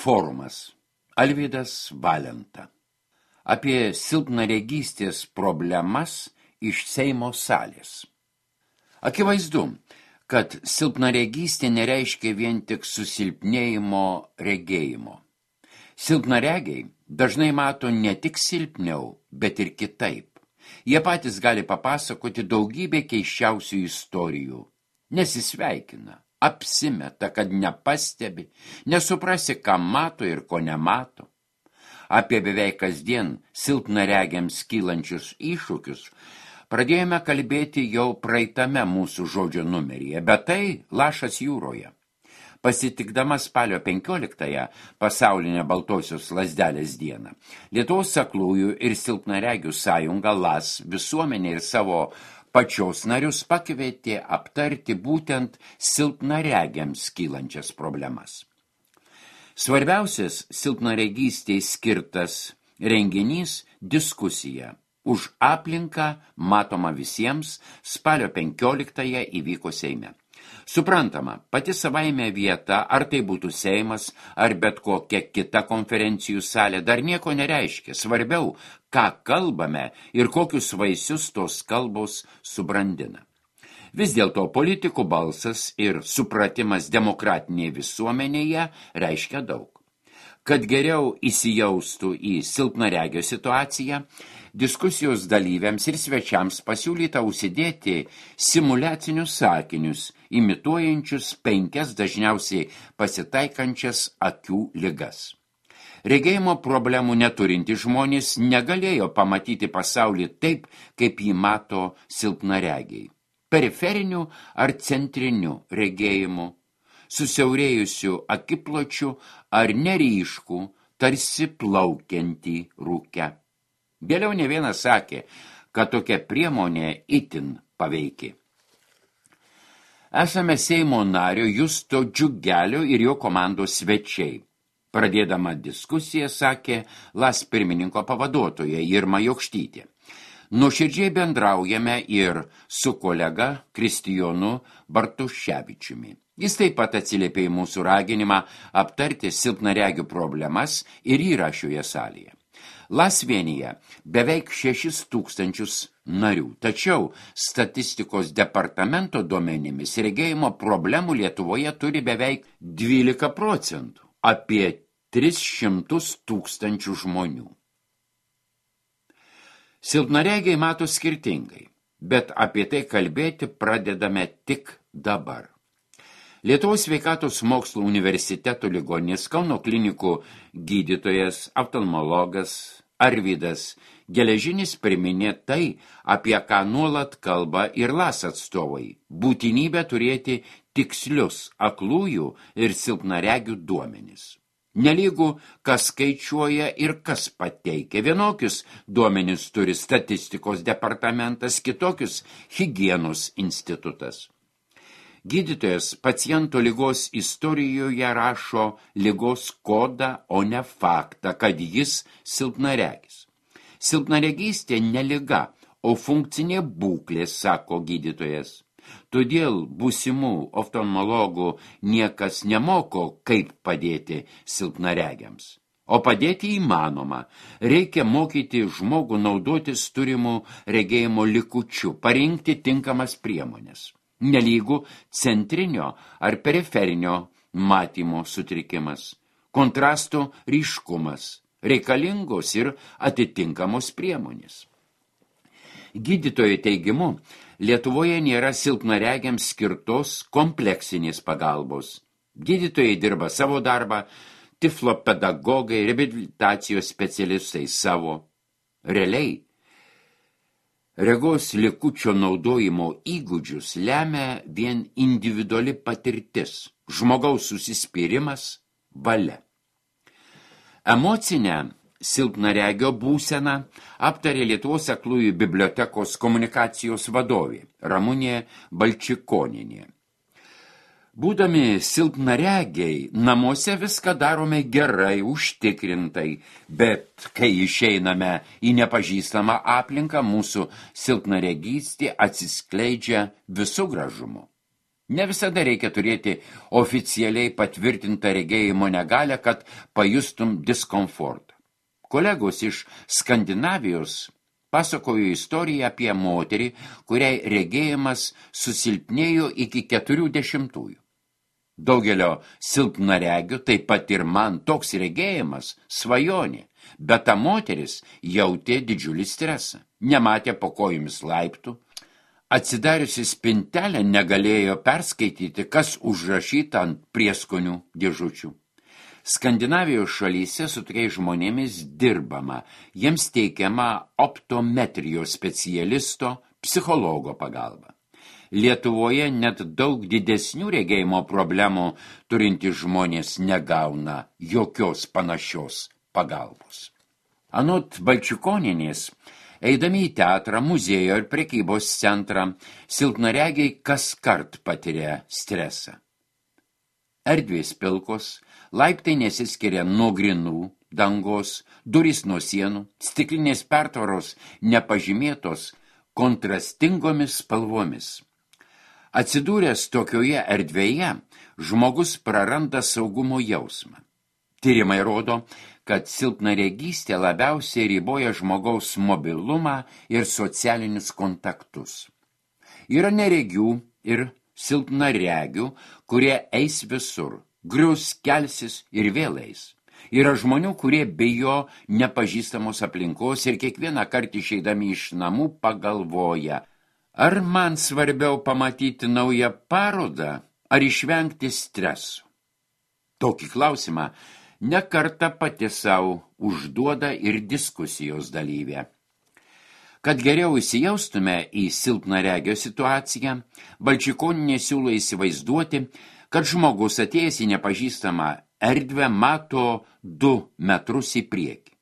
Forumas. Alvydas Valenta. Apie silpnaregystės problemas iš Seimo salės. Akivaizdu, kad silpnaregystė nereiškia vien tik susilpnėjimo regėjimo. Silpnaregiai dažnai mato ne tik silpniau, bet ir kitaip. Jie patys gali papasakoti daugybę keisčiausių istorijų. Nesisveikina, apsimeta, kad nepastebi, nesuprasi, ką mato ir ko nemato. Apie beveik kasdien silpnaregiams kylančius iššūkius pradėjome kalbėti jau praeitame mūsų žodžio numeryje, bet tai lašas jūroje. Pasitikdama spalio 15-ąją pasaulinę baltosios lazdelės dieną, Lietuvos aklųjų ir silpnaregių sąjunga LAS visuomenė ir savo pačios narius pakvietė aptarti būtent silpnaregiams kylančias problemas. Svarbiausias silpnaregystei skirtas renginys diskusija už aplinką matoma visiems spalio 15-ąją įvyko Seime. Suprantama, pati savaime vieta, ar tai būtų Seimas, ar bet kokia kita konferencijų salė, dar nieko nereiškia. Svarbiau, ką kalbame ir kokius vaisius tos kalbos subrandina. Vis dėlto politikų balsas ir supratimas demokratinėje visuomenėje reiškia daug. Kad geriau įsijaustų į silpnaregio situaciją, diskusijos dalyviams ir svečiams pasiūlyta užsidėti simuliacinius sakinius, imituojančius 5 dažniausiai pasitaikančias akių ligas. Regėjimo problemų neturinti žmonės negalėjo pamatyti pasaulį taip, kaip jį mato silpnaregiai. Periferiniu ar centriniu regėjimu, susiaurėjusių akipločių ar neryškų, tarsi plaukiantį rūkę. Vėliau ne vienas sakė, kad tokia priemonė itin paveiki. Esame Seimo nario Justo Džiugelio ir jo komandos svečiai. Pradėdama diskusiją sakė LAS pirmininko pavaduotoja Irma Jokštytė. Nuoširdžiai bendraujame ir su kolega Kristijonu Bartuševičiumi. Jis taip pat atsiliepė į mūsų raginimą aptarti silpnaregių problemas ir yra šioje salėje. LAS vienyje beveik 6,000 narių, tačiau statistikos departamento duomenimis regėjimo problemų Lietuvoje turi beveik 12%, apie 300,000 žmonių. Silpnaregiai mato skirtingai, bet apie tai kalbėti pradedame tik dabar. Lietuvos sveikatos mokslo universiteto ligoninės Kauno klinikų gydytojas, oftalmologas Arvydas Geležinis priminė tai, apie ką nuolat kalba ir LAS atstovai – būtinybę turėti tikslius aklųjų ir silpnaregių duomenis. Nelygu, kas skaičiuoja ir kas pateikia. Vienokius duomenis turi statistikos departamentas, kitokius higienos institutas. Gydytojas paciento ligos istorijoje rašo ligos kodą, o ne faktą, kad jis silpnaregis. Silpnaregystė ne liga, o funkcinė būklė, sako gydytojas. Todėl būsimų oftalmologų niekas nemoko, kaip padėti silpnaregiams. O padėti įmanoma. Reikia mokyti žmogų naudotis turimų regėjimo likučių, parinkti tinkamas priemonės. Nelygu centrinio ar periferinio matymo sutrikimas, kontrasto ryškumas, reikalingos ir atitinkamos priemonės. Gydytojo teigimu, Lietuvoje nėra silpnaregiams skirtos kompleksinės pagalbos. Gydytojai dirba savo darbą, tiflopedagogai, reabilitacijos specialistai savo. Realiai, regos likučio naudojimo įgūdžius lemia vien individuali patirtis, žmogaus užsispyrimas, valia. Emocinę silpnaregio būseną aptarė Lietuvos aklųjų bibliotekos komunikacijos vadovė Ramunė Balčikonienė. Būdami silpnaregiai, namuose viską darome gerai, užtikrintai, bet kai išeiname į nepažįstamą aplinką, mūsų silpnaregystė atsiskleidžia visų gražumu. Ne visada reikia turėti oficialiai patvirtintą regėjimo negalią, kad pajustum diskomfortą. Kolegos iš Skandinavijos pasakojo istoriją apie moterį, kuriai regėjimas susilpnėjo iki 40. Daugelio silpnaregių, taip pat ir man toks regėjimas svajonė, bet ta moteris jautė didžiulį stresą, nematė po kojomis laiptų, atsidariusi spintelę negalėjo perskaityti, kas užrašyta ant prieskonių dėžučių. Skandinavijos šalyse su tokiais žmonėmis dirbama, jiems teikiama optometrijos specialisto, psichologo pagalba. Lietuvoje net daug didesnių regėjimo problemų turintys žmonės negauna jokios panašios pagalbos. Anot Balčikonienės, eidami į teatrą, muziejų ir prekybos centrą, silpnaregiai kaskart patiria stresą. Erdvės pilkos, laiptai nesiskiria nuo grynų, dangos, durys nuo sienų, stiklinės pertvaros nepažymėtos kontrastingomis spalvomis. Atsidūręs tokioje erdvėje, žmogus praranda saugumo jausmą. Tyrimai rodo, kad silpnaregystė labiausiai riboja žmogaus mobilumą ir socialinius kontaktus. Yra neregių ir silpnaregių, kurie eis visur, grius, kelsis ir vėl eis. Yra žmonių, kurie bijo nepažįstamos aplinkos ir kiekvieną kartą išeidami iš namų pagalvoja, ar man svarbiau pamatyti naują parodą, ar išvengti stresų. Tokį klausimą ne kartą pati savo užduoda ir diskusijos dalyvė. Kad geriau įsijaustume į silpnaregio situaciją, Balčikonienė siūlo įsivaizduoti, kad žmogus atėjęs į nepažįstamą erdvę mato 2 metrus į priekį.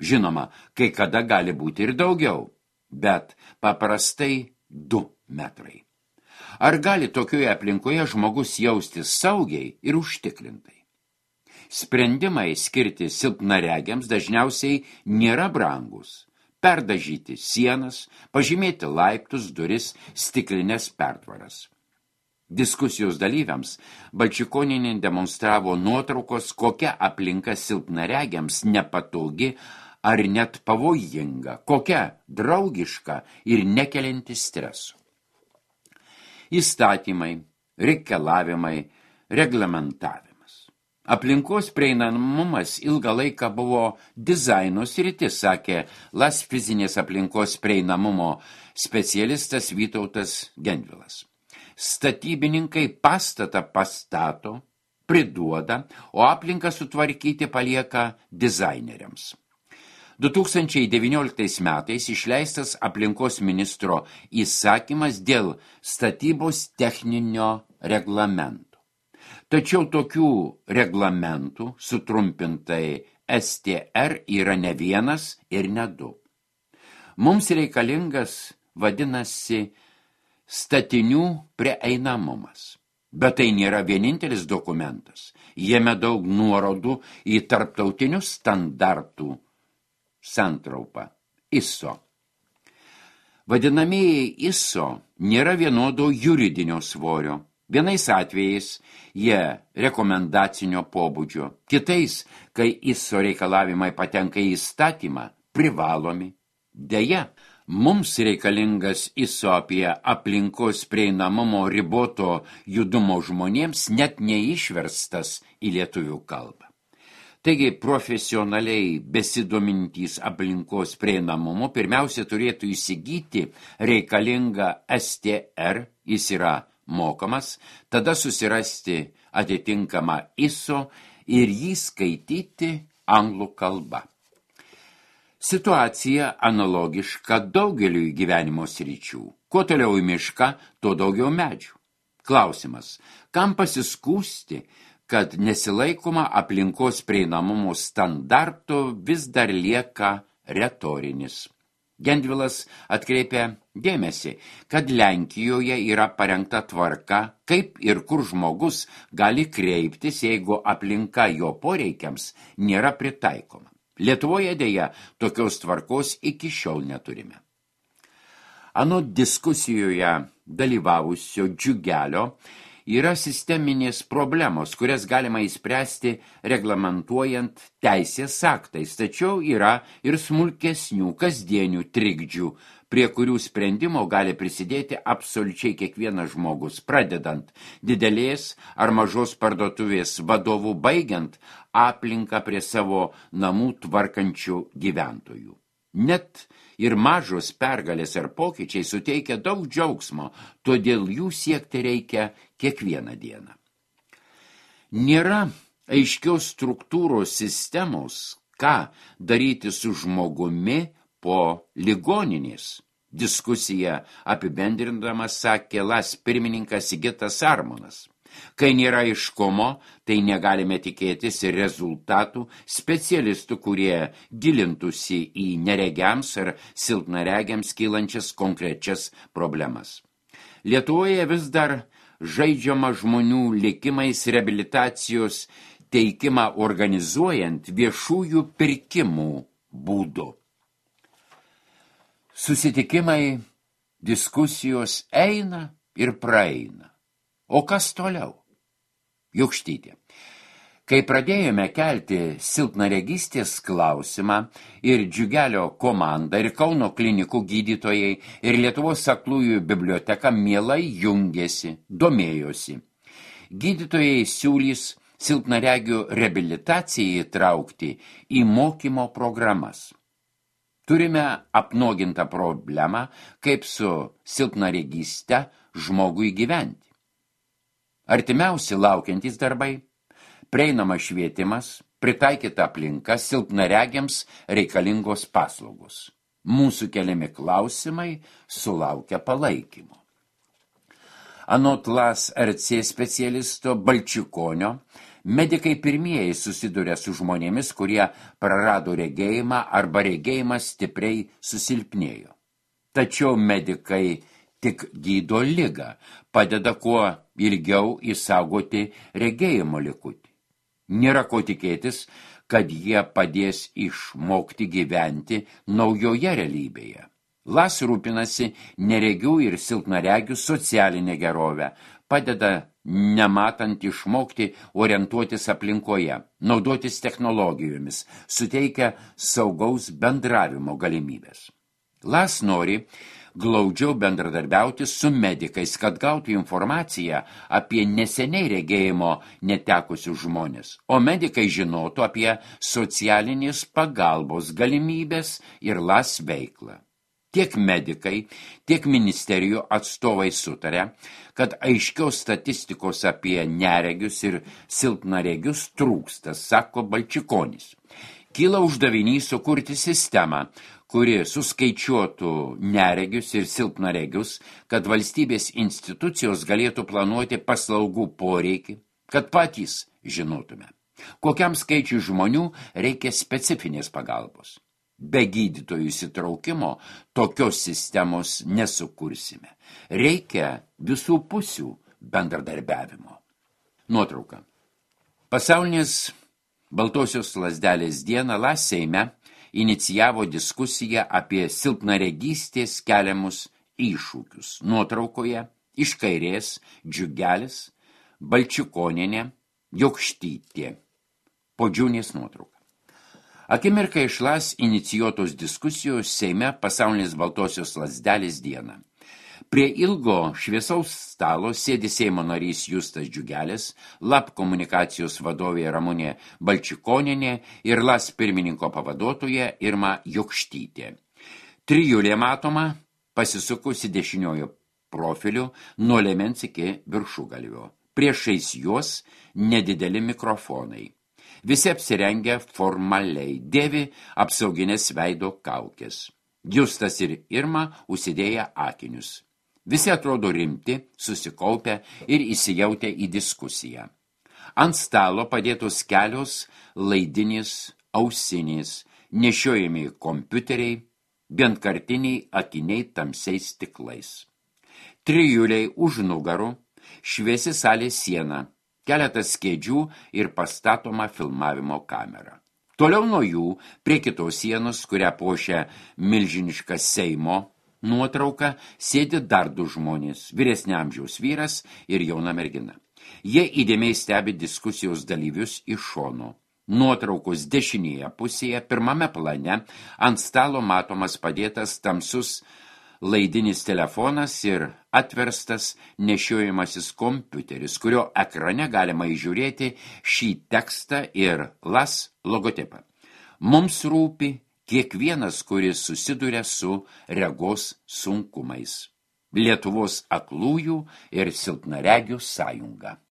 Žinoma, kai kada gali būti ir daugiau, bet paprastai 2 metrai. Ar gali tokioje aplinkoje žmogus jaustis saugiai ir užtikrintai? Sprendimai skirti silpnaregiams dažniausiai nėra brangus. Perdažyti sienas, pažymėti laiptus, duris, stiklinės pertvaras. Diskusijos dalyviams Balčikonienė demonstravo nuotraukos, kokia aplinka silpnaregiams nepatogi ar net pavojinga, kokia draugiška ir nekelianti stresų. Įstatymai, reikalavimai, reglamentavimas. Aplinkos prieinamumas ilgą laiką buvo dizaino sritis, sakė LAS fizinės aplinkos prieinamumo specialistas Vytautas Gendvilas. Statybininkai pastatą pastato, priduoda, o aplinką sutvarkyti palieka dizaineriams. 2019 metais išleistas aplinkos ministro įsakymas dėl statybos techninio reglamento. Tačiau tokių reglamentų, sutrumpintai STR, yra ne vienas ir ne 2. Mums reikalingas, vadinasi, statinių prieinamumas. Bet tai nėra vienintelis dokumentas. Jame daug nuorodų į tarptautinių standartų santraupą ISO. Vadinamieji ISO nėra vienodo juridinio svorio. Vienais atvejais jie rekomendacinio pobūdžio, kitais, kai ISO reikalavimai patenka į įstatymą, privalomi. Deja, mums reikalingas ISO apie aplinkos prieinamumo riboto judumo žmonėms net neišverstas į lietuvių kalbą. Taigi, profesionaliai besidomintys aplinkos prieinamumu pirmiausia turėtų įsigyti reikalingą STR, jis yra mokamas, tada susirasti atitinkamą ISO ir jį skaityti anglų kalba. Situacija analogiška daugeliui gyvenimo sričių. Kuo toliau į mišką, tuo daugiau medžių. Klausimas, kam pasiskųsti, kad nesilaikoma aplinkos prieinamumo standarto vis dar lieka retorinis. Gendvilas atkreipia dėmesį, kad Lenkijoje yra parengta tvarka, kaip ir kur žmogus gali kreiptis, jeigu aplinka jo poreikiams nėra pritaikoma. Lietuvoje deja tokios tvarkos iki šiol neturime. Anot diskusijoje dalyvavusio Džiugelio, yra sisteminės problemos, kurias galima įspręsti reglamentuojant teisės aktais, tačiau yra ir smulkesnių kasdienių trikdžių, prie kurių sprendimo gali prisidėti absoliučiai kiekvienas žmogus, pradedant didelės ar mažos parduotuvės vadovų, baigiant aplinką prie savo namų tvarkančių gyventojų. Net ir mažos pergalės ar pokyčiai suteikia daug džiaugsmo, todėl jų siekti reikia kiekvieną dieną. Nėra aiškios struktūros sistemos, ką daryti su žmogumi po ligoninės. Diskusiją apibendrindamas sakė LAS pirmininkas Sigitas Armonas. Kai nėra aiškumo, tai negalime tikėtis ir rezultatų specialistų, kurie gilintųsi į neregiams ar silpnaregiams kylančias konkrečias problemas. Lietuvoje vis dar žaidžiama žmonių likimais reabilitacijos teikimą organizuojant viešųjų pirkimų būdu. Susitikimai, diskusijos eina ir praeina. O kas toliau? Jokštytė. Kai pradėjome kelti silpnaregystės klausimą ir Džiugelio komanda, ir Kauno klinikų gydytojai, ir Lietuvos aklųjų biblioteka mielai jungėsi, domėjosi. Gydytojai siūlys silpnaregių reabilitaciją įtraukti į mokymo programas. Turime apnuogintą problemą, kaip su silpnaregyste žmogui gyventi. Artimiausi laukiantys darbai, prieinamas švietimas, pritaikyta aplinka, silpnaregiams reikalingos paslaugos. Mūsų keliami klausimai sulaukia palaikymo. Anot LAS RC specialisto Balčikonio, medikai pirmieji susiduria su žmonėmis, kurie prarado regėjimą arba regėjimas stipriai susilpnėjo. Tačiau medikai tik gydo ligą, padeda kuo ilgiau išsaugoti regėjimo likutį. Nėra ko tikėtis, kad jie padės išmokti gyventi naujoje realybėje. LAS rūpinasi neregių ir silpnaregių socialinę gerovę, padeda nematant išmokti orientuotis aplinkoje, naudotis technologijomis, suteikia saugaus bendravimo galimybės. LAS nori glaudžiau bendradarbiauti su medikais, kad gautų informaciją apie neseniai regėjimo netekusius žmonės, o medikai žinotų apie socialinės pagalbos galimybės ir LAS veiklą. Tiek medikai, tiek ministerijų atstovai sutarė, kad aiškios statistikos apie neregius ir silpnaregius trūksta, sako Balčikonis. Kyla uždavinys sukurti sistemą, kuri suskaičiuotų neregius ir silpnaregius, kad valstybės institucijos galėtų planuoti paslaugų poreikį, kad patys žinotume, kokiam skaičiui žmonių reikia specifinės pagalbos. Be gydytojų įsitraukimo tokios sistemos nesukursime. Reikia visų pusių bendradarbiavimo. Nuotrauka. Pasaulinės Baltosios lazdelės dieną LAS Seime inicijavo diskusiją apie silpnaregystės keliamus iššūkius. Nuotraukoje iš kairės Džiugelis, Balčikonienė, Jokštytė. Podžiūnės nuotrauka. Akimirka iš LAS inicijuotos diskusijos Seime Pasaulinės Baltosios lazdelės dieną. Prie ilgo šviesaus stalo sėdi Seimo narys Justas Džiugelis, LAP komunikacijos vadovė Ramunė Balčikonienė ir LAS pirmininko pavaduotoja Irma Jokštytė. Trijulė matoma pasisukusi dešiniojo profiliu nuo liemens iki viršugalvio. Priešais juos nedideli mikrofonai. Visi apsirengę formaliai, dėvi apsauginės veido kaukės. Justas ir Irma užsidėję akinius. Visi atrodo rimti, susikaupę ir įsijautę į diskusiją. Ant stalo padėtos kelios laidinės ausinės, nešiojami kompiuteriai, vienkartiniai akiniai tamsiais stiklais. Trijuliai už nugarų, šviesi salės siena, keletas kėdžių ir pastatoma filmavimo kamera. Toliau nuo jų, prie kitos sienos, kurią puošia milžiniška Seimo nuotrauką sėdi dar du žmonės, vyresnio amžiaus vyras ir jauna mergina. Jie įdėmiai stebi diskusijos dalyvius iš šono. Nuotraukos dešinėje pusėje, pirmame plane, ant stalo matomas padėtas tamsus laidinis telefonas ir atverstas nešiojamasis kompiuteris, kurio ekrane galima įžiūrėti šį tekstą ir LAS logotipą. Mums rūpi kiekvienas, kuris susiduria su regos sunkumais. Lietuvos aklųjų ir silpnaregių sąjunga.